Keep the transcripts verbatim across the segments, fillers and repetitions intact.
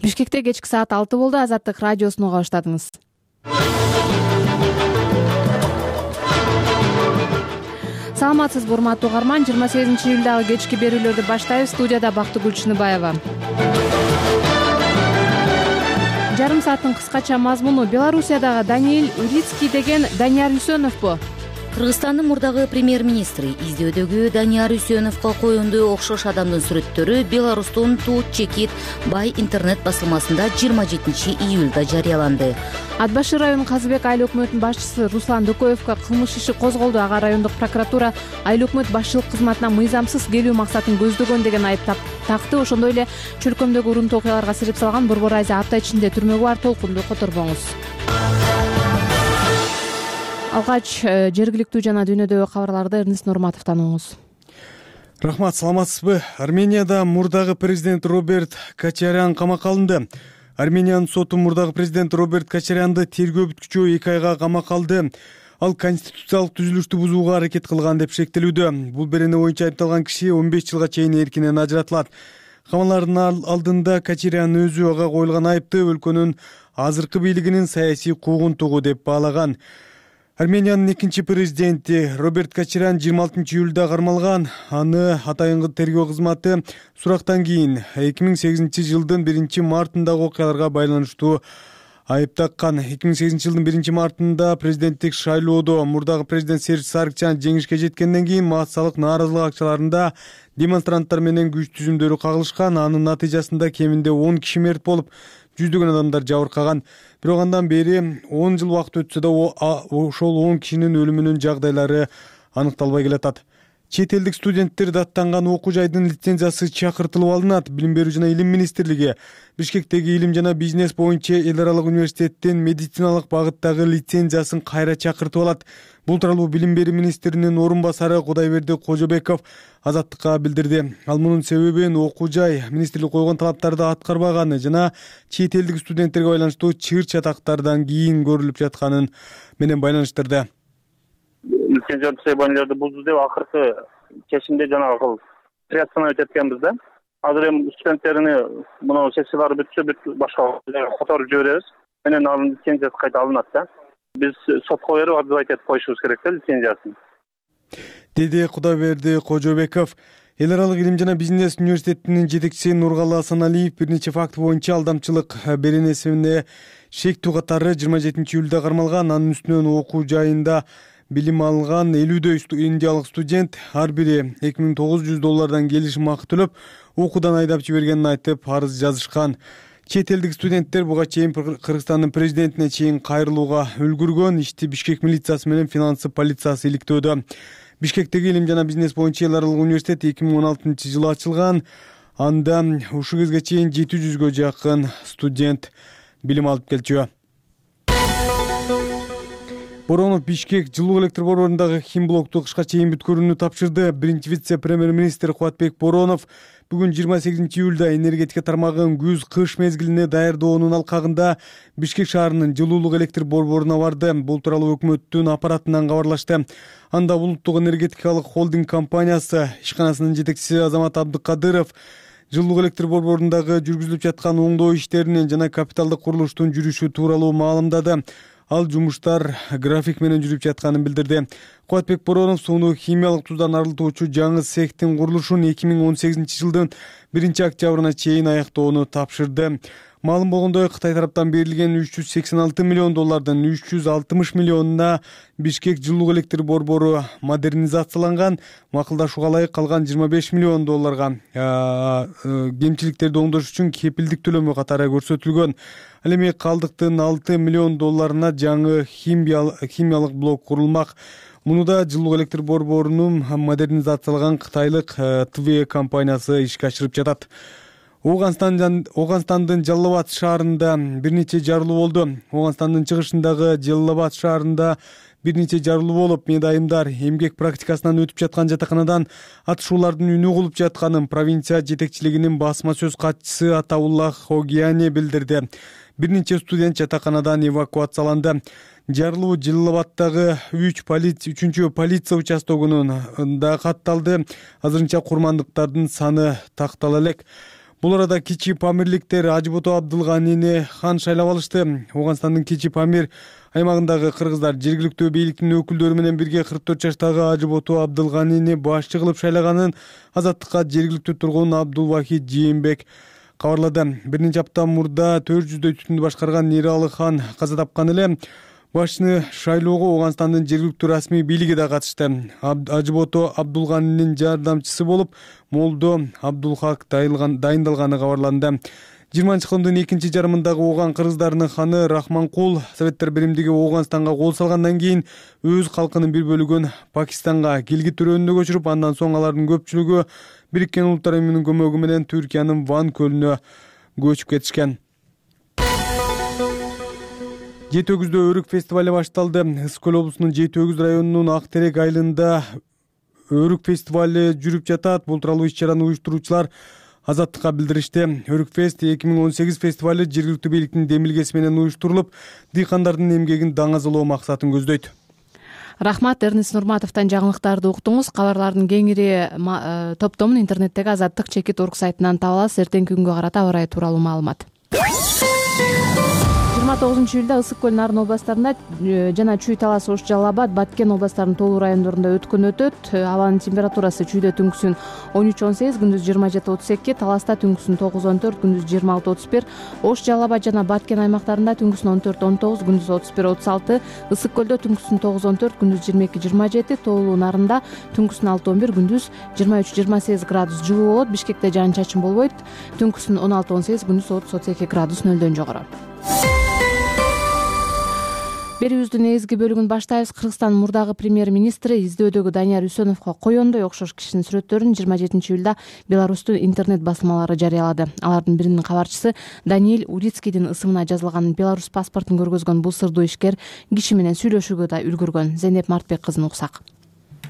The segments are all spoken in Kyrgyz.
Бишкекте кечки саат алты болду. Азаттык радиосун уга баштадыңыз. Саламатсызбы урматтуу угарман, жыйырма сегизинчи июлдагы кечки берүүлөрдү баштайбыз. Студияда Бактыгүл Чыныбаева. Жарым сааттын кыскача мазмуну: Белоруссиядагы Даниил Урицкий деген Данияр Үсөновбу? Кыргызстандын мурдагы премьер-министри издөөдөгү Данияр Үсөновго коюндуу окшош адамдын сүрөттөрү Беларустун Тут Чекит бай интернет басылмасында жыйырма жетинчи июлда жарыяланды. Ат башы районунун Казыбек айыл өкмөтүнүн башчысы Руслан Дөкөевгө кылмыш иши козголду. Ага райондук прокуратура айыл өкмөт башчылык кызматына мыйзамсыз келүү максатын көздөгөн деген айып такты. Ошондой эле чөлкөмдөгү урунтуу окуяларга сирип салган Борбор Айза апта ичинде түрмөгө бар. Толкунду которбоңуз. Алгач жергиликтүү жана дүйнөдөгү кабарларды Эрнест Нурматовдон угуңуз. Рахмат, саламатсызбы? Арменияда мурдагы президент Роберт Кочарян камакка алынды. Армениянын соту мурдагы президент Роберт Кочарянды тергөө бүткүчү эки айга камакка алды. Ал конституциялык түзүлүштү бузууга аракет кылган деп шектелүүдө. Бул берене боюнча айыпталган киши он беш жылга чейин эркинен ажыратылат. Камалардын алдында Кочарян өзү ага коюлган айыпты өлкөнүн азыркы бийлигинин саясий куугунтугу деп баалаган. Армениянын экинчи президенти Роберт Кочарян жыйырма алтынчы июлда кармалган. Аны атайынгы тергөө кызматы сурактан кийин эки миң сегизинчи жылдын биринчи мартындагы окуяларга байланыштуу айып таккан. эки миң сегизинчи жылдын биринчи мартында президенттик шайлоодо мурдагы президент Серж Саргчан жеңишке жеткенден кийин массалык нааразылык акчаларында демонстранттар менен күч түзүмдөрү кагылышкан. Анын натыйжасында кеминде он киши мерт болуп, жүздөгөн адамдар жабыркаган. Бирок андан бери он жыл убакыт өтсө да ошол он кишинин өлүмүнүн жагдайлары аныкталбай келатат. Чет элдик студенттер даттанган окуу жайдын лицензиясы чакыртылып алынат. Билим берүү жана илим министрлиги Бишкектеги илим жана бизнес боюнча эл аралык университеттин медициналык багыттагы лицензиясын кайра чакыртып алат. Бул тууралуу билим берүү министринин орун басары Кудайберди Кожобеков Азаттыкка билдирди. Ал мунун себебин окуу жай министрлик койгон талаптарды аткарбаганы жана чет элдик студенттерге байланыштуу чыр чатактардан кийин көрүлүп жатканын менен байланыштырды. Лицензия требованияларды бузду деп акыркы чечимде жанагы приостановить эткенбиз да. Азыр эми студенттерини мына сессиялары бүтсө бүт башка которуп жиберебиз. Менен анын лицензиясы кайта алынат да. Биз сотко берип отзывать этип коюшубуз керек да лицензиясын. Деди Кудайберди Кожобеков. Эл аралык илим жана бизнес университетинин жетекчиси Нургалы Асаналиев бир нече факт боюнча алдамчылык беренесине шектүү катары жыйырма жетинчи июлда кармалган. Анын үстүнөн окуу жайында билим алган элүүдөй индиялык студент ар бири эки миң тогуз жүз доллардан келишим акы төлөп, окуудан айдап жибергенин айтып арыз жазышкан. Чет элдик студенттер буга чейин Кыргызстандын президентине чейин кайрылууга үлгүргөн. Ишти Бишкек милициясы менен финансы полициясы иликтөөдө. Бишкектеги илим жана бизнес боюнча эл аралык университет эки миң он алтынчы жылы ачылган. Анда ушул кезге чейин жети жүзгө жакын студент билим алып келчү. Боронов Бишкек жылуу электр борборундагы химблокту кышка чейин бүткөрүүнү тапшырды. Биринчи вице-премьер-министр Кубатбек Боронов бүгүн жыйырма сегизинчи июлда энергетика тармагын күз-кыш мезгилине даярдоонун алкагында Бишкек шаарынын жылуулук электр борборуна барды. Бул тууралуу өкмөттүн аппаратынан кабарлашты. Анда улуттук энергетикалык холдинг компаниясы ишканасынын жетекчиси Азамат Абдыкадыров жылуулук электр борборундагы жүргүзүлүп жаткан оңдоо иштеринин жана капиталдык курулуштун жүрүшү тууралуу маалымдады. Ал жумуштар график менен жүрүп жатканын билдирди. Кубатбек Боронов сууну химиялык туздан арылтуучу жаңы цехтин курулушун эки миң он сегизинчи жылдын биринчи октябрына чейин аяктоону тапшырды. Маалым болгондой, Кытай тараптан берилген үч жүз сексен алты миллион доллардын үч жүз алтымыш миллионуна Бишкек жылуулук электр борбору модернизацияланган. Макулдашууга ылайык калган жыйырма беш миллион долларга кемчиликтерди оңдош үчүн кепилдик төлөмү катары көрсөтүлгөн. Ал эми калдыктын алты миллион долларына жаңы химиялык блок курулмак. Мунуда жылуулук электр борборунун модернизацияланган кытайлык ТВ компаниясы ишке ашырып жатат. Оганстандын Жалал-Абад шаарында бир нече жарылуу болду. Оганстандын чыгышындагы Жалал-Абад шаарында бир нече жарылуу болуп, медайымдар эмгек практикасынан өтүп жаткан жатаканадан атышуулардын үнү угулуп жатканын провинция жетекчилигинин басма сөз катчысы Атауллах Огияне билдирди. Бир нече студент жатаканадан эвакуацияланды. Жарылуу Жалал-Абадтагы үч полиция үчүнчү полиция участогунун да катталды. Азырынча курмандыктардын саны тактала элек. Бул арада кичи памирликтер Ажыбото Абдылганини хан шайлап алышты. Ооганстандын кичи памир аймагындагы кыргыздар жергиликтүү бийликтин өкүлдөрү менен бирге кырк төрт жаштагы Ажыбото Абдылганини башчы кылып шайлаганын Азаттыкка жергиликтүү тургун Абдулвахид Жээнбек кабарлады. Бир нече апта мурда төрт жүздөй түтүндү башкарган Нералы хан каза тапкан эле. Башчыны шайлоого Ооганстандын жергиликтүү расмий бийлиги да катышты. Ажыбото Абдулганинин жардамчысы болуп Молдо Абдулхак дайындалганы кабарланды. жыйырманчы кылымдын экинчи жарымындагы ооган кыргыздарынын ханы Рахманкул Советтер биримдиги Ооганстанга кол салгандан кийин өз калкынын бир бөлүгүн Пакистанга Гилгит өрөөнүнө көчүрүп, андан соң алардын көпчүлүгү Бириккен Улуттар уюмунун көмөгү менен Түркиянын Ван көлүнө көчүп кетишкен. Жети өгүздө өрүк фестивали башталды. Ысык көл облусунун Жети өгүз районунун Ак Терек айылында өрүк фестивали жүрүп жатат. Бул тууралуу иш-чараны уюштуруучулар Азаттыкка билдиришти. Өрүк фест эки миң он сегиз фестивали жергиликтүү бийликтин демилгеси менен уюштурулуп, дыйкандардын эмгегин даңазалоо максатын көздөйт. Рахмат, Эрнис Нурматовдон жаңылыктарды уктуңуз. Кабарлардын кеңири топтомун интернеттеги азаттык чекит точка орг сайтынан таба аласыз. Эртеңки күнгө карата аба ырайы тууралуу маалымат. жыйырма тогузунчу июлда Ысык көл Нарын областарында жана Чүй Талас Ош Жалал Абад Баткен областарынын толуу райондорунда өткөн өтөт. Абанын температурасы Чүйдө түнкүсүн он үч он сегиз, күндүз жыйырма жети отуз эки, Таласта түнкүсүн тогуз он төрт, күндүз жыйырма алты отуз бир, Ош Жалал Абад жана Баткен аймактарында түнкүсүн он төрт он тогуз, күндүз отуз бир отуз алты, Ысык көлдө түнкүсүн тогуз он төрт, күндүз жыйырма эки жыйырма жети, Толуу Нарында түнкүсүн алты он бир, күндүз жыйырма үч жыйырма сегиз градус жылуу болот. Бишкекте жаан чачын болбойт. Түнкүсүн он алты он сегиз, күндүз отуз отуз эки градус нөлдөн жогору. Берүүбүздүн негизги бөлүгүн баштайбыз. Кыргызстан мурдагы премьер-министри издөөдөгү Данияр Үсөновго коёндой окшош кишинин сүрөттөрүн жыйырма жетинчи июлда Беларустун интернет басылмалары жарыялады. Алардын биринин кабарчысы Даниил Урицкийдин ысымына жазылган Беларус паспортун көргөзгөн бул сырдуу ишкер киши менен сүйлөшүүгө да үлгүргөн. Зейнеп Мартбек кызын уксак.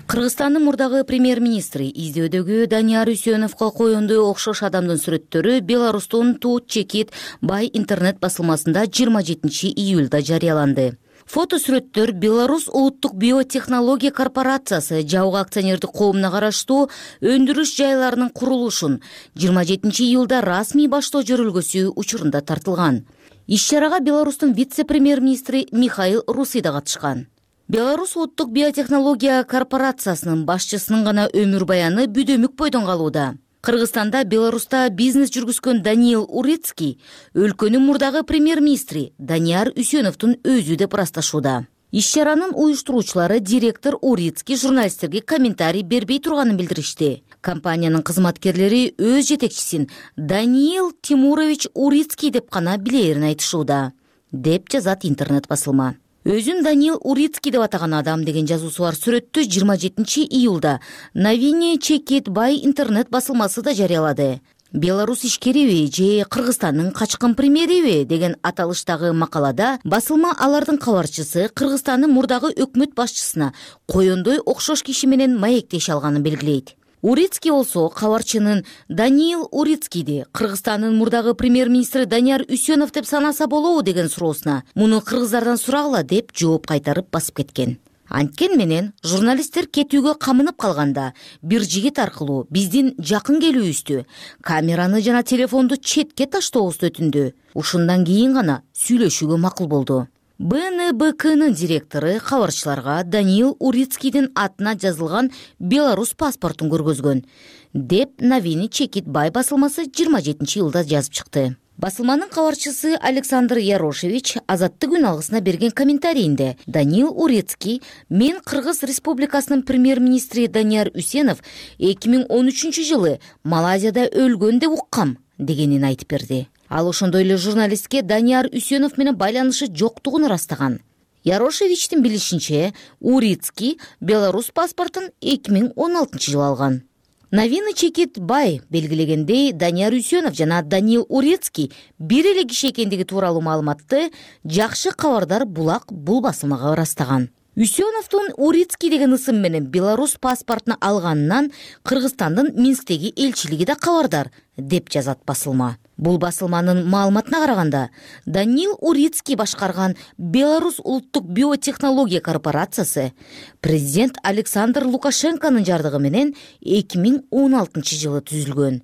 Кыргызстандын мурдагы премьер-министри издөөдөгү Данияр Үсөновго коёндой окшош адамдын сүрөттөрү Беларустун Тут Чекит Бай интернет басылмасында жыйырма жетинчи июлда жарыяланды. Фото сүрөттөр Беларусь улуттук биотехнология корпорациясы жабык акционердик коомуна караштуу өндүрүш жайларынын курулушун жыйырма жетинчи июлда расмий баштоо жөрөлгөсү учурунда тартылган. Иш-чарага Беларустун вице-премьер-министри Михаил Руси да катышкан. Беларусь улуттук биотехнология корпорациясынын башчысынын гана өмүр баяны бүдөмүк бойдон калууда. Кыргызстанда Беларуста бизнес жүргүзгөн Даниил Урицкий өлкөнүн мурдагы премьер-министри Данияр Үсөновдун өзү деп ырасташууда. Иш-чаранын уюштуруучулары директор Урицкий журналисттерге комментарий бербей турганын билдиришти. Компаниянын кызматкерлери өз жетекчисин Даниил Тимурович Урицкий деп гана билээрин айтышууда, деп жазат интернет басылма. Өзүн Даниил Урицкий деп атаган адам деген жазуусу бар сүрөттү жыйырма жетинчи июлда Новини Чекит Бай интернет басылмасы да жарыялады. Беларусь ишкериби же Кыргызстандын качкын премьериби деген аталыштагы макалада басылма алардын кабарчысы Кыргызстандын мурдагы өкмөт башчысына коёндой окшош киши менен маектеше алганын белгилейт. Урицкий болсо кабарчынын Даниил Урицкийди Кыргызстандын мурдагы премьер-министри Данияр Үсөнов деп санаса болобу деген суроосуна муну кыргыздардан сурагыла деп жооп кайтарып басып кеткен. Анткен менен журналисттер кетүүгө камынып калганда бир жигит аркылуу биздин жакын келүүбүздү, камераны жана телефонду четке таштообузду өтүндү. Ушундан кийин гана сүйлөшүүгө макул болду. бэ эн бэ кнын директору кабарчыларга Даниил Урицкийдин атына жазылган Беларусь паспортун көргөзгөн, деп Новини Чекит Бай басылмасы жыйырма жетинчи июлда жазып чыкты. Басылманын кабарчысы Александр Ярошевич Азаттык күн алгысына берген комментарийинде Даниил Урицкий мен Кыргыз Республикасынын премьер-министри Данияр Үсөнов эки миң он үчүнчү жылы Малайзияда өлгөн деп уккам дегенин айтып берди. Ал ошондой эле журналистке Данияр Үсөнов менен байланышы жоктугун ырастаган. Ярошевичтин билишинче, Урицкий Беларусь паспортун эки миң он алтынчы жылы алган. Новини Чекит Бай белгилегендей, Данияр Үсөнов жана Даниил Урицкий бир эле киши экендиги тууралуу маалыматты жакшы кабардар Булак бул басылмага ырастаган. Үсөновдун Урицкий деген ысым менен Беларусь паспортун алганынан Кыргызстандын Минсктеги элчилиги да кабардар, деп жазат басылма. Бул басылманын маалыматына караганда, Даниил Урицкий башкарган Беларусь улуттук биотехнология корпорациясы президент Александр Лукашенконун жардыгы менен эки миң он алтынчы жылы түзүлгөн.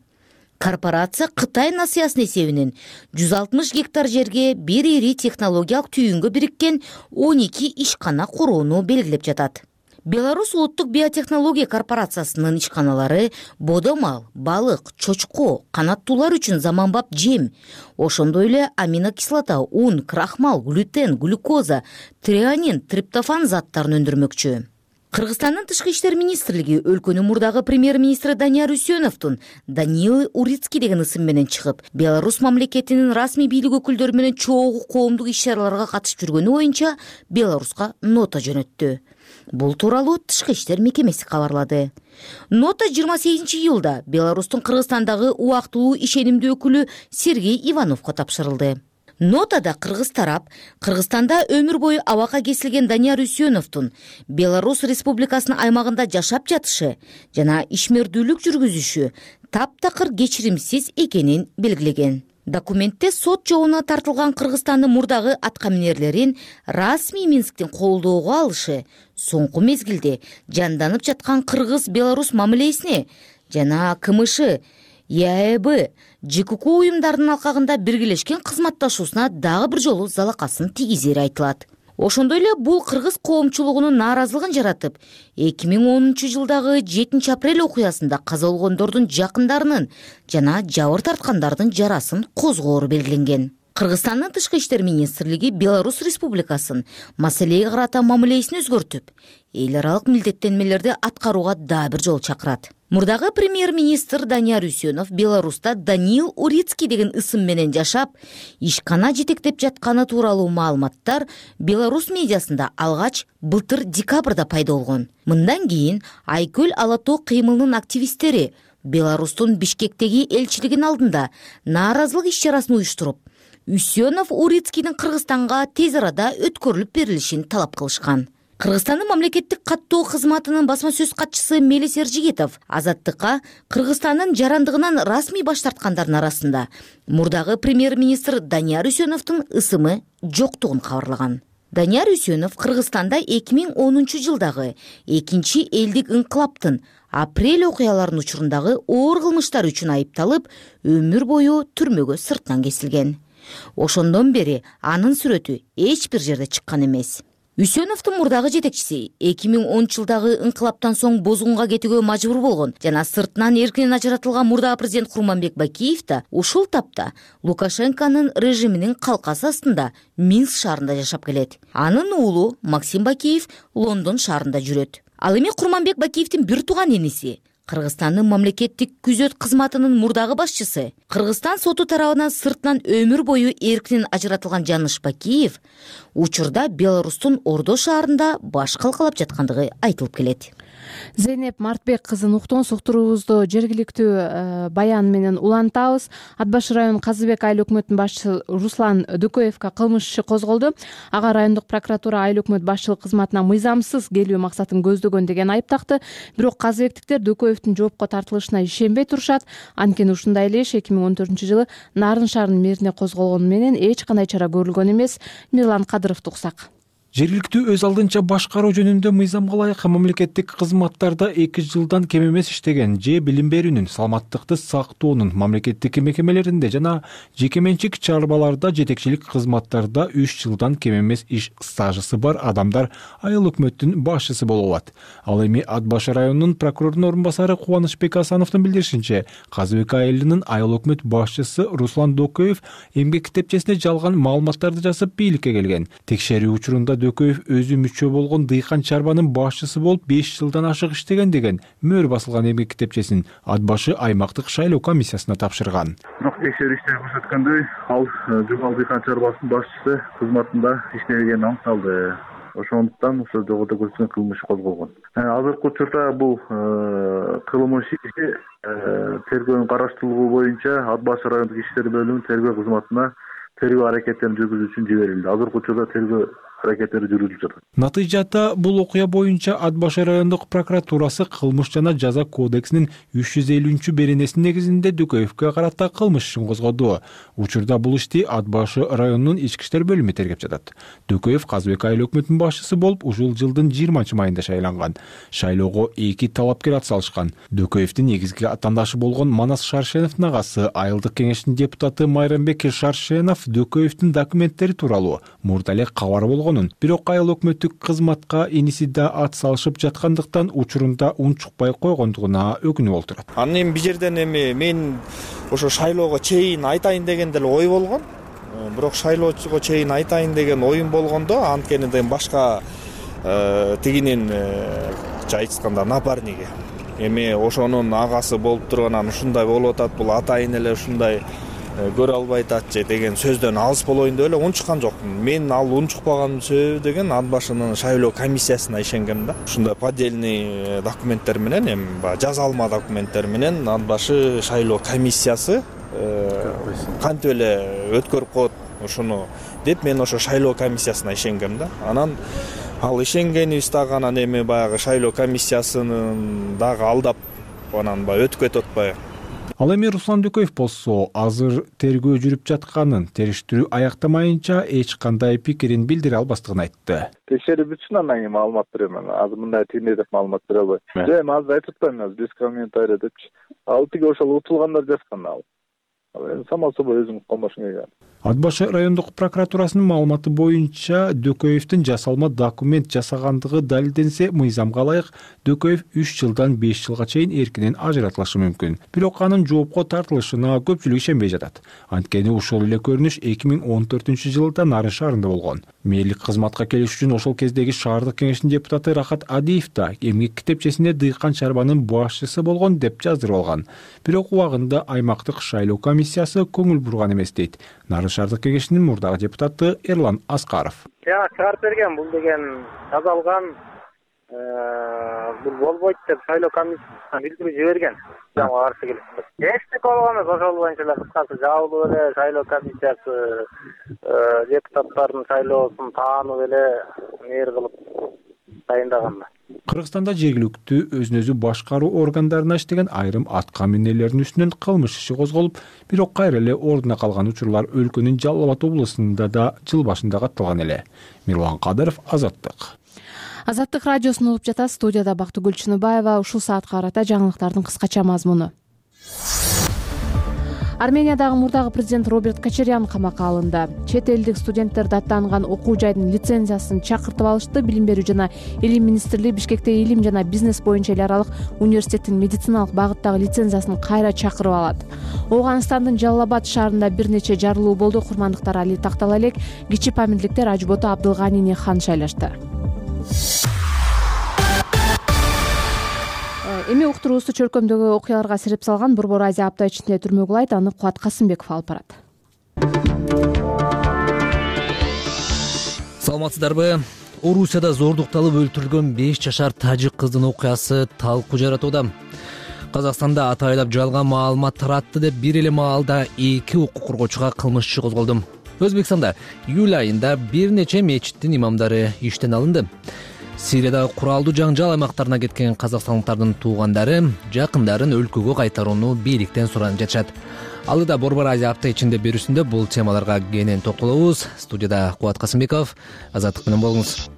Корпорация Кытай насыясынын эсебинен жүз алтымыш гектар жерге бир ири технологиялык түйүнгө бириккен он эки ишкана курууну белгилеп жатат. Беларусь улуттук биотехнология корпорациясынын ишканалары бодомал, балык, чочко, канаттуулар үчүн заманбап жем, ошондой эле аминокислота, ун, крахмал, глютен, глюкоза, трианин, триптофан заттарын өндүрмөкчү. Кыргызстандын тышкы иштер министрлиги өлкөнүн мурдагы премьер-министри Данияр Үсеновдун Даниил Урицкий деген ысым менен чыгып, Беларусь мамлекетинин расмий бийлик өкүлдөрү менен чогуу коомдук иш-чараларга катышып жүргөнү боюнча Беларуска нота жөнөттү. Бул тууралуу тышкы иштер мекемеси кабарлады. Нота жыйырма сегизинчи июлда Беларустун Кыргызстандагы убактылуу ишенимдүү өкүлү Сергей Ивановго тапшырылды. Нотада кыргыз тарап Кыргызстанда өмүр бою абакка кесилген Данияр Үсеновдун Беларусь Республикасынын аймагында жашап жатышы жана ишмердүүлүк жүргүзүшү таптакыр кечиримсиз экенин белгилеген. Документте сот жообуна тартылган Кыргызстандын мурдагы аткаминерлерин расмий Минсктин колдоого алышы соңку мезгилде жанданып жаткан Кыргыз-Беларусь мамилесине жана КМШ, ЕАЭБ, ЖКК уюмдарынын алкагында биргелешкен кызматташуусуна дагы бир жолу залакасын тийгизери айтылат. Ошондой эле бул кыргыз коомчулугунун нааразылыгын жаратып, эки миң онунчу жылдагы жетинчи апрель окуясында каза болгондордун жакындарынын жана жабыр тарткандардын жарасын козгоору белгиленген. Кыргызстандын тышкы иштер министрлиги Беларусь Республикасын маселеге карата мамилесин өзгөртүп, эл аралык милдеттенмелерди аткарууга дагы бир жолу чакырат. Мурдагы премьер-министр Данияр Үсенов Беларуста Даниил Урицкий деген ысым менен жашап, ишкана жетектеп жатканы тууралуу маалыматтар Беларусь медиасында алгач былтыр декабрда пайда болгон. Мындан кийин Айкөл Ала тоо кыймылынын активисттери Беларустун Бишкектеги элчилигинин алдында нааразылык иш-чарасын уюштуруп, Үсенов Урицкийдин Кыргызстанга тез арада өткөрүлүп берилишин талап кылышкан. Кыргызстандын мамлекеттик каттоо кызматынын басма сөз катчысы Мелис Эржигитов азаттыкка Кыргызстандын жарандыгынан расмий баш тарткандардын арасында мурдагы премьер-министр Данияр Үсеновдун ысымы жоктугун кабарлаган. Данияр Үсенов Кыргызстанда эки миң онунчу жылдагы экинчи элдик инкылаптын апрель окуяларынын учурундагы оор кылмыштар үчүн айыпталып, өмүр бою түрмөгө сырттан кесилген. Ошондон бери анын сүрөтү эч бир жерде чыккан эмес. Үсеновдун мурдагы жетекчиси эки миң онунчу жылдагы инкылаптан соң бозгунга кетүүгө мажбур болгон жана сыртынан эркинен ажыратылган мурдагы президент Курманбек Бакиев да ушул тапта Лукашенконун режиминин калкасы астында Минск шаарында жашап келет. Анын уулу Максим Бакиев Лондон шаарында жүрөт. Ал эми Курманбек Бакиевдин бир тууган иниси Кыргызстандын мамлекеттик күзөт кызматынын мурдагы башчысы, Кыргызстан соту тарабынан сыртынан өмүр бою эркинен ажыратылган Жаныш Бакиев учурда Беларустун Ордо шаарында баш калкалап жаткандыгы айтылып келет. Зейнеп Мартбек кызын уктун суктуруубузду жергиликтүү баян менен улантабыз. Ат башы район Казыбек айыл өкмөтүнүн башчысы Руслан Дөкөевго кылмыш иши козголду. Ага райондук прокуратура айыл өкмөт башчылык кызматына мыйзамсыз келүү максатын көздөгөн деген айып такты. Бирок казыбектиктер Дөкөевдин жоопко тартылышына ишенбей турушат. Анткени ушундай эле иш эки миң он төртүнчү жылы Нарын шаарынын мэрине козголгону менен эч кандай чара көрүлгөн эмес. Мирлан Кадыровду уксак. Жергиликтүү өз алдынча башкаруу жөнүндө мыйзамга ылайык мамлекеттик кызматтарда эки жылдан кем эмес иштеген же билим берүүнүн, саламаттыкты сактоонун мамлекеттик мекемелеринде жана жеке менчик чарбаларда жетекчилик кызматтарда үч жылдан кем эмес иш стажысы бар адамдар айыл өкмөттүн башчысы боло алат. Ал эми Ат башы районунун прокурорунун орун басары Кубанычбек Асановдун билдиришинче, Казыбек айылынын айыл өкмөт башчысы Руслан Дөкөев эмгек китепчесине жалган маалыматтарды жазып бийликке келген. Текшерүү учурунда Дөкөев өзү мүчө болгон дыйкан чарбанын башчысы болуп беш жылдан ашык иштеген деген мөр басылган эмгек китепчесин Ат башы аймактык шайлоо комиссиясына тапшырган. Бирок текшерүү иштери көрсөткөндөй, ал Жумал дыйкан чарбасынын башчысы кызматында иштебегени аныкталды. Ошондуктан ошо жогоруда көрсөткөн кылмыш козголгон. Азыркы учурда бул кылмыш иши тергөөнүн караштырылуу боюнча Ат башы райондук иштер бөлүмүнүн тергөө кызматына тергөө аракеттерин жүргүзүү үчүн жиберилди. Азыркы учурда тергөө аракеттери жүргүзүлүп жатат. Натыйжада бул окуя боюнча Ат башы райондук прокуратурасы кылмыш жана жаза кодексинин үч жүз элүүнчү беренесинин негизинде Дөкөевгө карата кылмыш ишин козгоду. Учурда бул ишти Ат башы районунун ички иштер бөлүмү тергеп жатат. Дөкөев Казыбек айыл өкмөтүнүн башчысы болуп ушул жылдын жыйырманчы майында шайланган. Шайлоого эки талапкер ат салышкан. Дөкөевдин негизги атаандашы болгон Манас Шаршеновдун агасы айылдык кеңештин депутаты Майрамбек Шаршенов Дөкөевдин документтери тууралуу мурда эле кабар болгонун, бирок айыл өкмөттүк кызматка иниси да ат салышып жаткандыктан учурунда унчукпай койгондугуна өкүнүп отурат. Анан эми бул жерден эми мен ошо шайлоого чейин айтайын деген деле ой болгон. Бирок шайлоого чейин айтайын деген оюм болгондо анткени да башка тигинин айтышканда напарниги эми ошонун агасы болуп турганан ушундай болуп атат, бул атайын эле ушундай көрө албай ататчы деген сөздөн алыс болоюн деп эле унчуккан жокмун. Мен ал унчукпаган себеби деген Ат башынын шайлоо комиссиясына ишенгем да. Ушундай поддельный документтер менен, эми баягы жазалма документтер менен Ат башы шайлоо комиссиясы кантип эле өткөрүп коет ушуну деп мен ошо шайлоо комиссиясына ишенгем да. Анан ал ишенгенибиз дагы анан эми баягы шайлоо комиссиясынын дагы алдап анан баягы өтүп кетип атпайбы. Ал эми Руслан Дөкөев болсо азыр тергөө жүрүп жатканын, териштирүү аяктамайынча эч кандай пикирин билдире албастыгын айтты. Текшерип бүтсүн, анан кийин маалымат берем. Азыр мындай тигиндей деп маалымат бере албайм. Эми азыр айтып атпайм, азыр без комментарий депчи. Ал тиги ошол утулгандар жазган ал. Эми само собой өзүң колмошуң келген. Ат башы райондук прокуратурасынын маалыматы боюнча Дөкөевдин жасалма документ жасагандыгы далилденсе, мыйзамга ылайык Дөкөев үч жылдан беш жылга чейин эркинен ажыратылышы мүмкүн. Бирок анын жоопко тартылышына көпчүлүк ишенбей жатат. Анткени ушул эле көрүнүш эки миң он төртүнчү жылда Нарын шаарында болгон. Мэрлик кызматка келиш үчүн ошол кездеги шаардык кеңештин депутаты Рахат Адиев да эмгек китепчесинде Дыйкан чарбанын башчысы болгон деп жаздырып алган. Бирок убагында аймактык шайлоо комиссиясы көңүл бурган эмес дейт Нарын шаардык кеңешинин мурдагы депутаты Эрлан Аскаров. Я чыгарып берген, бул деген жазалган, бул болбойт деп шайлоо комиссиясына билдирүү жиберген. Жаңа каршы келип. Эчтеке болгон эмес, ошол боюнча эле кыскасы жабылып эле шайлоо комиссиясы депутаттардын шайлоосун таанып эле нээр кылып дайындаган. Кыргызстанда жергиликтүү өзүн өзү башкаруу органдарына иштеген айрым атка минелердин үстүнөн кылмыш иши козголуп, бирок кайра эле ордуна калган учурлар өлкөнүн Жалал Абад облусунда да жыл башында катталган эле. Мирлан Кадыров, Азаттык. Азаттык радиосун угуп жатат. Студияда Бактыгүл Чыныбаева. Ушул саатка карата жаңылыктардын кыскача мазмуну. Армениядагы мурдагы президент Роберт Кочарян камакка алынды. Чет элдик студенттер даттанган окуу жайдын лицензиясын чакыртып алышты. Билим берүү жана илим министрлиги Бишкекте илим жана бизнес боюнча эл аралык университеттин медициналык багыттагы лицензиясын кайра чакырып алат. Ооганстандын Жалал Абад шаарында бир нече жарылуу болду. Курмандыктар Али Тактала элек, кичи памирликтер Ажбото Абдылганини хан шайлашты. Эми уктуруубузду чөлкөмдөгү окуяларга сирип салган Борбор Азия апта ичинде түрмөгү улайт, аны Кубат Касымбеков алып барат. Саламатсыздарбы? Орусияда зордукталып өлтүрүлгөн беш жашар тажик кыздын окуясы талкуу жаратууда. Казакстанда атайлап жалган маалымат таратты деп бир эле маалда эки укук коргоочуга кылмыш иши козголду. Өзбекстанда июль айында бир нече мечиттин имамдары иштен алынды. Сириядагы куралдуу жаңжал аймактарына кеткен казакстандыктардын туугандары жакындарын өлкөгө кайтарууну бийликтен суранып жатышат. Алыда Борбор Азия апта ичинде берүүсүндө бул темаларга кенен токтолобуз. Студияда Кубат Касымбеков, Азаттык менен болуңуз.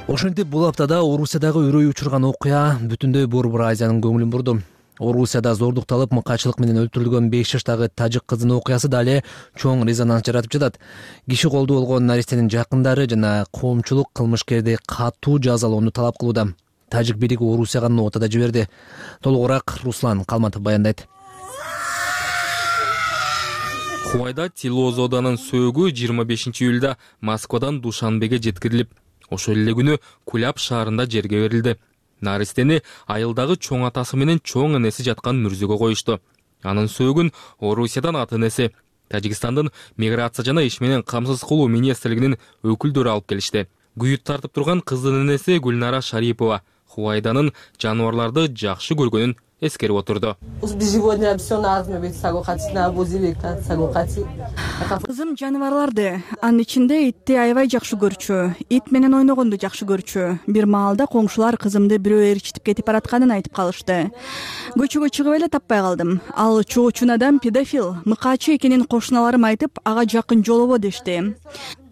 Ошентип бул аптада Орусиядагы өрөй учурган окуя бүтүндөй Борбор Азиянын көңүлүн бурду. Орусияда зордукталып мыкайчылык менен өлтүрүлгөн беш жаштагы тажик кыздын окуясы дале чоң резонанс жаратып жатат. Киши колдуу болгон наристенин жакындары жана коомчулук кылмышкерди катуу жазалоону талап кылууда. Тажик бийлиги Орусияга нота да жиберди. Толугураак Руслан Калматов баяндайт. Хувайда Тилозоданын сөөгү жыйырма бешинчи июлда Москвадан Душанбеге жеткирилип, ошол эле күнү Куляб шаарында жерге берилди. Наристени айылдагы чоң атасы менен чоң энеси жаткан мүрзөгө коюшту. Анын сөөгүн Орусиядан ата энеси, Тажикстандын миграция жана иш менен камсыз кылуу министрлигинин өкүлдөрү алып келишти. Күйүт тартып турган кыздын энеси Гүлнара Шарипова Хувайданын жаныбарларды жакшы көргөнүн эскерип отурду. Кызым жаныбарларды, анын ичинде итти аябай жакшы көрчү. Ит менен ойногонду жакшы көрчү. Бир маалда коңшулар кызымды бирөө ээрчитип кетип баратканын айтып калышты. Көчөгө чыгып эле таппай калдым. Ал чоочун адам педофил, мыкаачы экенин кошуналарым айтып, ага жакын жолобо дешти.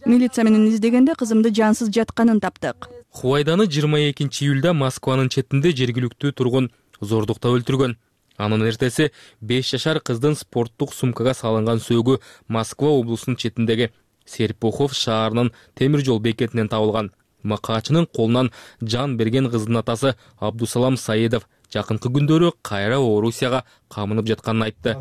Милиция менен издегенде кызымды жансыз жатканын таптык. Хувайданы жыйырма экинчи июлда Москванын четинде жергиликтүү тургун зордуктап өлтүргөн. Анын эртеси беш жашар кыздын спорттук сумкага салынган сөөгү Москва облусунун четиндеги Серпухов шаарынын темир жол бекетинен табылган. Макаачынын колунан жан берген кыздын атасы Абдусалам Саидов жакынкы күндөрү кайра Орусияга камынып жатканын айтты.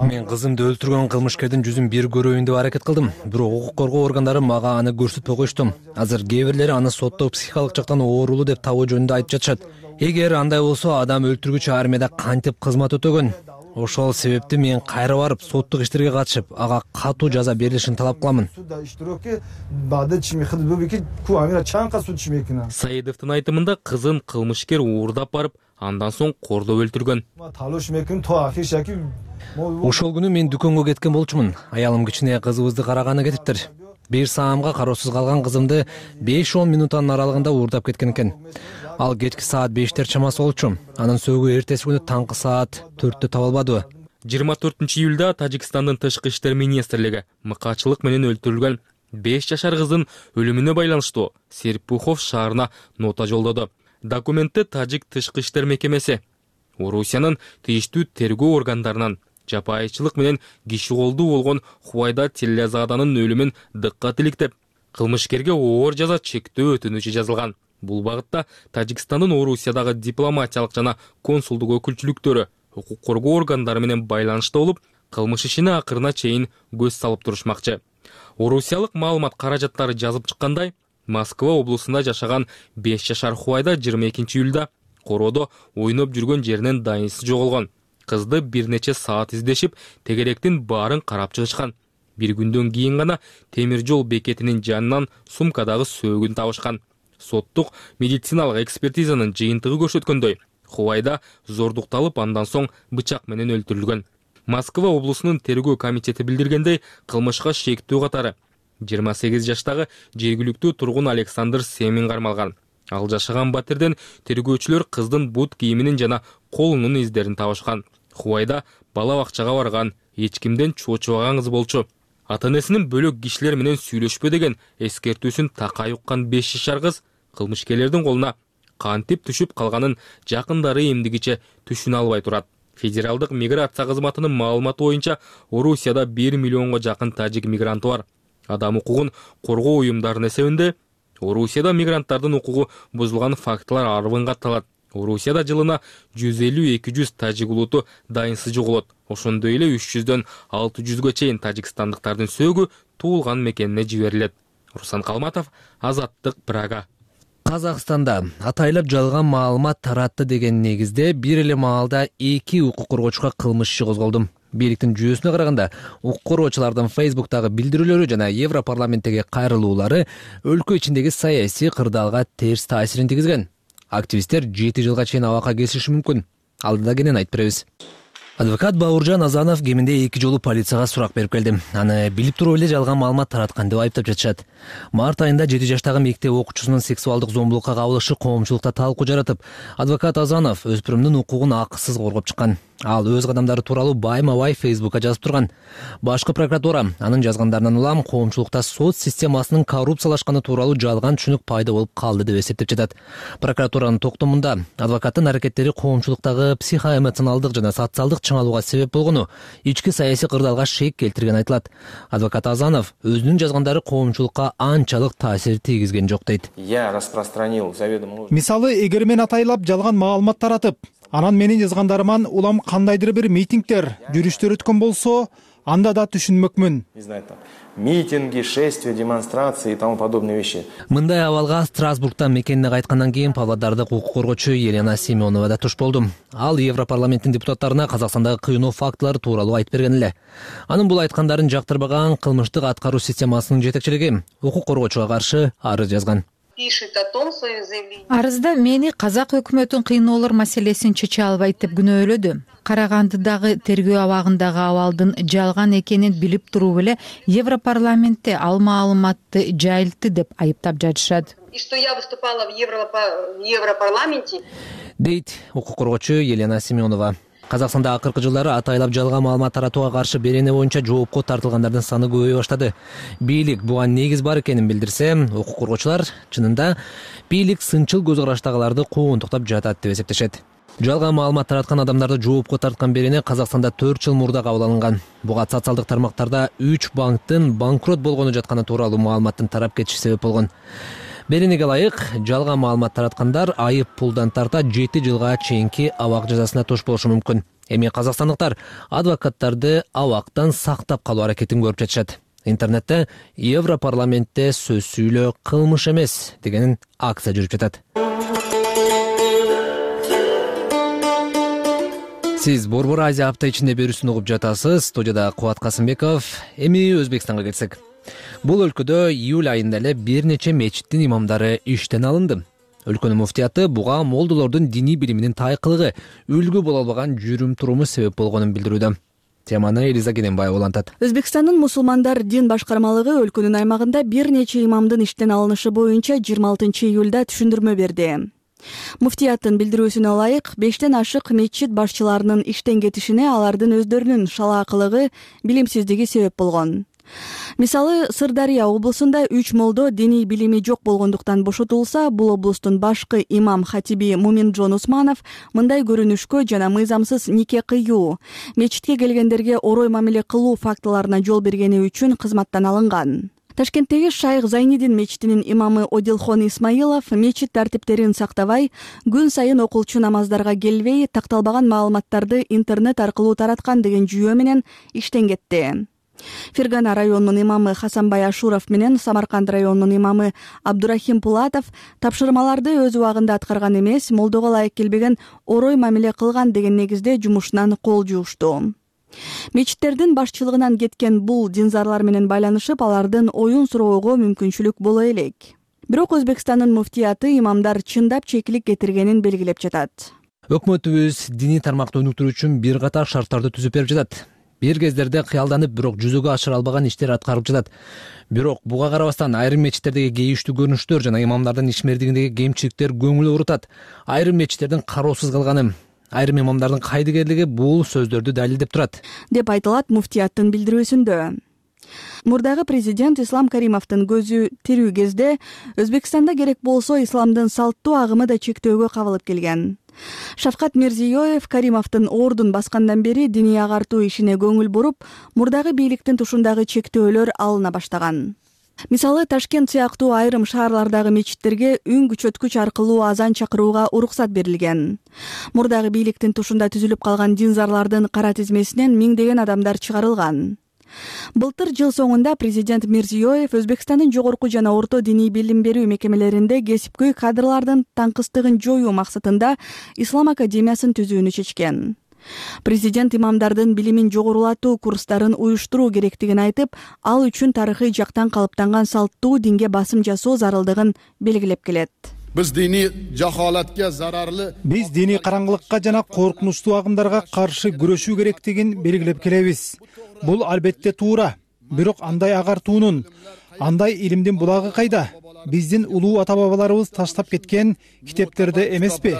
Мен кызымды өлтүргөн кылмышкердин жүзүн бир көрөйүн деп аракет кылдым. Бирок укук коргоо органдары мага аны көрсөтпөй коюшту. Азыр кээ бирлери аны сотто психикалык жактан оорулуу деп табуу жөнүндө айтып жатышат. Эгер андай болсо, адам өлтүргүчү армияда кантип кызмат өтөгөн? Ошол себепти мен кайра барып соттук иштерге катышып, ага катуу жаза берилишин талап кыламын. Саидовдун айтымында кызын кылмышкер уурдап барып, андан соң кордоп өлтүргөн. Ошол күнү мен дүкөнгө кеткен болчумун. Аялым кичине кызыбызды караганы кетиптир. Бир саамга кароосуз калган кызымды беш он минуттун аралыгында уурдап кеткен экен. Ал кечки саат бештер чамасы болчу. Анын сөөгү эртеси күнү таңкы саат төрттө табылбады. жыйырма төртүнчү июлда Тажикстандын тышкы иштер министрлиги мыкаачылык менен өлтүрүлгөн беш жашар кыздын өлүмүнө байланыштуу Серпухов шаарына нота жолдоду. Документте Тажик тышкы иштер мекемеси Орусиянын тийиштүү тергөө органдарынан жапайычылык менен киши колдуу болгон Хувайда Тиллязаданын өлүмүн дыккат иликтеп, кылмышкерге оор жаза чектөө өтүнүчү жазылган. Бул багытта Тажикстандын Орусиядагы дипломатиялык жана консулдук өкүлчүлүктөрү укук коргоо органдары менен байланышта болуп, кылмыш ишине акырына чейин көз салып турушмакчы. Орусиялык маалымат каражаттары жазып чыккандай, Москва облусунда жашаган беш жашар Хувайда жыйырма экинчи июлда короодо ойноп жүргөн жеринен дайынсыз жоголгон. Кызды бир нече саат издешип, тегеректин баарын карап чыгышкан. Бир күндөн кийин гана темир жол бекетинин жанынан сумкадагы сөөгүн табышкан. Соттук медициналык экспертизанын жыйынтыгы көрсөткөндөй, Хувайда зордукталып, андан соң бычак менен өлтүрүлгөн. Москва облусунун тергөө комитети билдиргендей, кылмышка шектүү катары жыйырма сегиз жаштагы жергиликтүү тургун Александр Семин кармалган. Ал жашаган батирден тергөөчүлөр кыздын бут кийиминин жана колунун издерин табышкан. Хувайда бала бакчага барган, эч кимден чоочубаган кыз болчу. Ата-энесинин бөлөк кишилер менен сүйлөшпө деген эскертүүсүн такай уккан беш жашар кыз кылмышкерлердин колуна кантип түшүп калганын жакындары эмдигиче түшүнө албай турат. Федералдык миграция кызматынын маалыматы боюнча, Орусияда бир миллионго жакын тажик мигранты бар. Адам укугун коргоо уюмдарынын эсебинде Орусияда мигранттардын укугу бузулган фактылар арбын катталат. Орусияда жылына жүз элүү эки жүз тажик улуту дайынсыз жоголот. Ошондой эле үч жүздөн алты жүзгө чейин тажикстандыктардын сөөгү туулган мекенине жиберилет. Руслан Калматов, Азаттык, Прага. Казакстанда атайлап жалган маалымат таратты деген негизде бир эле маалда эки укук коргоочуга кылмыш иши козголду. Бийликтин жүйөсүнө караганда, укук коргоочулардын Фейсбуктагы билдирүүлөрү жана Европарламенттеги кайрылуулары өлкө ичиндеги саясий кырдаалга терс таасирин тийгизген. Активисттер жети жылга чейин абакка кесилиши мүмкүн. Алдыда кенен айтып беребиз. Адвокат Бауыржан Азанов кеминде эки жолу полицияга сурак берип келди. Аны билип туруп эле жалган маалымат тараткан деп айыптап жатышат. Март айында жети жаштагы мектеп окуучусунун сексуалдык зомбулукка кабылышы коомчулукта талкуу жаратып, адвокат Азанов өспүрүмдүн укугун акысыз коргоп чыккан. Ал өз кадамдары тууралуу байма-бай Фейсбукка жазып турган. Башкы прокуратура анын жазгандарынан улам коомчулукта сот системасынын коррупциялашканы тууралуу жалган түшүнүк пайда болуп калды деп эсептеп жатат. Прокуратуранын токтомунда адвокаттын аракеттери коомчулуктагы психоэмоционалдык жана социалдык чыңалууга себеп болгону, ички саясий кырдаалга шек келтирген айтылат. Адвокат Азанов өзүнүн жазгандары коомчулукка анчалык таасир тийгизген жок дейт. Я распространил заведомо. Мисалы, эгер мен атайлап жалган маалымат таратып, анан менин жазгандарыман улам кандайдыр бир митингдер, жүрүштөр өткөн болсо, анда да түшүнмөкмүн. Митинги, шествия, демонстрации и тому подобные вещи. Мындай абалга Страсбургтан мекенине кайткандан кийин Павлодардык укук коргоочу Елена Семенова да туш болду. Ал Европарламенттин депутаттарына Казакстандагы кыйноо фактылары тууралуу айтып берген эле. Анын бул айткандарын жактырбаган кылмыштык аткаруу системасынын жетекчилиги укук коргоочуга каршы арыз жазган. пишет о том в своем заявлении. Арызда мени казак өкмөтүн кыйноолор маселесин чече албайт деп күнөөлөдү. Карагандыдагы тергөө абагындагы абалдын жалган экенин билип туруп эле Европарламентте ал маалыматты жайылтты деп айыптап жатышат. И что я выступала в Европарламенте, дейт укук коргоочу Елена Семенова. Казакстанда акыркы жылдары атайлап жалган маалымат таратууга каршы берене боюнча жоопко тартылгандардын саны көбөйө баштады. Бийлик буга негиз бар экенин билдирсе, укук коргоочулар чынында бийлик сынчыл көз караштагыларды куугунтуктап жатат деп эсептешет. Жалган маалымат тараткан адамдарды жоопко тарткан берене Казакстанда төрт жыл мурда кабыл алынган. Буга социалдык тармактарда үч банктын банкрот болгону жатканы тууралуу маалыматтын тарап кетиши себеп болгон. Беренеге ылайык жалган маалымат тараткандар айып пулдан тарта жети жылга чейинки абак жазасына туш болушу мүмкүн. Эми казакстандыктар адвокаттарды абактан сактап калуу аракетин көрүп жатышат. Интернетте Европарламентте сөз сүйлөө кылмыш эмес деген акция жүрүп жатат. Сиз Борбор Азия апта ичинде берүүсүн угуп жатасыз. Студияда Кубат Касымбеков. Эми Өзбекстанга келсек. Бул өлкөдө июль айында эле бир нече мечиттин имамдары иштен алынды. Өлкөнүн муфтияты буга молдолордун диний билиминин тайкылыгы, үлгү боло албаган жүрүм туруму себеп болгонун билдирүүдө. Теманы Элиза Кененбаева улантат. Өзбекстандын мусулмандар дин башкармалыгы өлкөнүн аймагында бир нече имамдын иштен алынышы боюнча жыйырма алтынчы июлда түшүндүрмө берди. Муфтияттын билдирүүсүнө ылайык, бештен ашык мечит башчыларынын иштен кетишине алардын өздөрүнүн шалаакылыгы, билимсиздиги себеп болгон. Мисалы, Сырдария облусунда үч молдо диний билими жок болгондуктан бошотулса, бул облустун башкы имам хатиби Муминжон Усманов мындай көрүнүшкө жана мыйзамсыз нике кыюу, мечитке келгендерге орой мамиле кылуу фактыларына жол бергени үчүн кызматтан алынган. Ташкенттеги Шайх Зайнидин мечитинин имамы Одилхон Исмаилов мечит тартиптерин сактабай, күн сайын окулчу намаздарга келбей, такталбаган маалыматтарды интернет аркылуу тараткан деген жүйө менен иштен кетти. Фергана районунун имамы Хасанбай Ашуров менен Самарканд районунун имамы Абдурахим Пулатов тапшырмаларды өз убагында аткарган эмес, молдого ылайык келбеген орой мамиле кылган деген негизде жумушунан кол жуушту. Мечиттердин башчылыгынан кеткен бул динзарлар менен байланышып, алардын оюн суроого мүмкүнчүлүк боло элек. Бирок Өзбекстандын муфтияты имамдар чындап чекилик кетиргенин белгилеп жатат. Өкмөтүбүз диний тармакты өнүктүрүү үчүн бир катар шарттарды түзүп берип жатат. Бир кездерде кыялданып, бирок жүзөгө ашыра албаган иштер аткарылып жатат. Бирок буга карабастан айрым мечиттердеги кейиштүү көрүнүштөр жана имамдардын ишмердигиндеги кемчиликтер көңүл оорутат. Айрым мечиттердин кароосуз калганы, айрым имамдардын кайдыгерлиги бул сөздөрдү далилдеп турат, деп айтылат муфтияттын билдирүүсүндө. Мурдагы президент Ислам Каримовдун көзү тирүү кезде Өзбекстанда керек болсо исламдын салттуу агымы да чектөөгө кабылып келген. Шавкат Мирзиёев Каримовдун ордун баскандан бери диний агартуу ишине көңүл буруп, мурдагы бийликтин тушундагы чектөөлөр алына баштаган. Мисалы, Ташкент сыяктуу айрым шаарлардагы мечиттерге үн күчөткүч аркылуу азан чакырууга уруксат берилген. Мурдагы бийликтин тушунда түзүлүп калган динзарлардын кара тизмесинен миңдеген адамдар чыгарылган. Былтыр жыл соңунда президент Мирзиёев Өзбекстандын жогорку жана орто диний билим берүү мекемелеринде кесипкөй кадрлардын таңкыстыгын жоюу максатында Ислам академиясын түзүүнү чечкен. Президент имамдардын билимин жогорулатуу курстарын уюштуруу керектигин айтып, ал үчүн тарыхый жактан калыптанган салттуу динге басым жасоо зарылдыгын белгилеп келет. Биз диний жахалатка зарарлы Биз диний караңгылыкка жана коркунучтуу агымдарга каршы күрөшүү керектигин белгилеп келебиз. Бул албетте туура. Бирок андай агартуунун, андай илимдин булагы кайда? Биздин улуу ата-бабаларыбыз таштап кеткен китептерде эмеспи?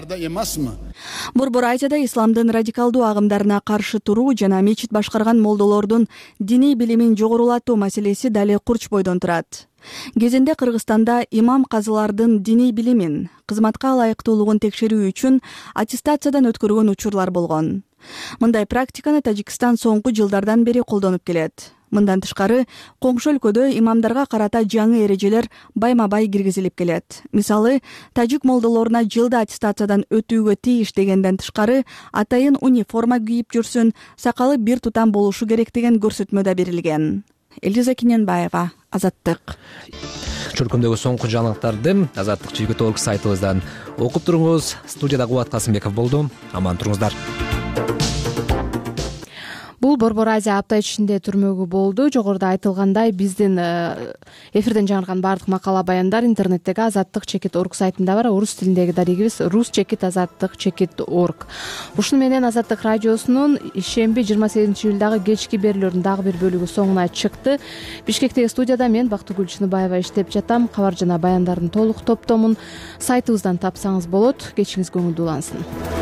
Борбор Азияда исламдын радикалдуу агымдарына каршы туруу жана мечит башкарган молдолордун диний билимин жогорулатуу маселеси дали курч бойдон турат. Кезинде Кыргызстанда имам казылардын диний билимин, кызматка ылайыктуулугун текшерүү үчүн аттестациядан өткөргөн учурлар болгон. Мындай практиканы Тажикстан соңку жылдардан бери колдонуп келет. Мындан тышкары, коңшу өлкөдө имамдарга карата жаңы эрежелер байма-бай киргизилип келет. Мисалы, тажик молдолоруна жылда аттестациядан өтүүгө тийиш дегенден тышкары, атайын униформа кийип жүрсүн, сакалы бир тутам болушу керек деген көрсөтмө да берилген. Элиза Кененбаева, Азаттык. Чөлкөмдөгү соңку жаңылыктарды Азаттык чүйгү толк сайтыбыздан окуп туруңуз. Студияда Кубат Касымбеков болду. Аман туруңуздар. Бул бул Борбор Азия апта ичинде түрмөгү болду. Жогоруда айтылгандай, биздин эфирден жаңырган баардык макала баяндар интернеттеги азаттык чекит орг сайтында бар. Орус тилиндеги дарегибиз рус чекит азаттык чекит орг. Ушуну менен Азаттык радиосунун ишемби жыйырма сегизинчи июлдагы кечки берүүлөрүнүн дагы бир бөлүгү соңуна чыкты. Бишкектеги студияда мен Бактыгүл Чыныбаева иштеп жатам. Кабар жана баяндардын толук топтомун сайтыбыздан тапсаңыз болот. Кечиңиз көңүлдүү улансын.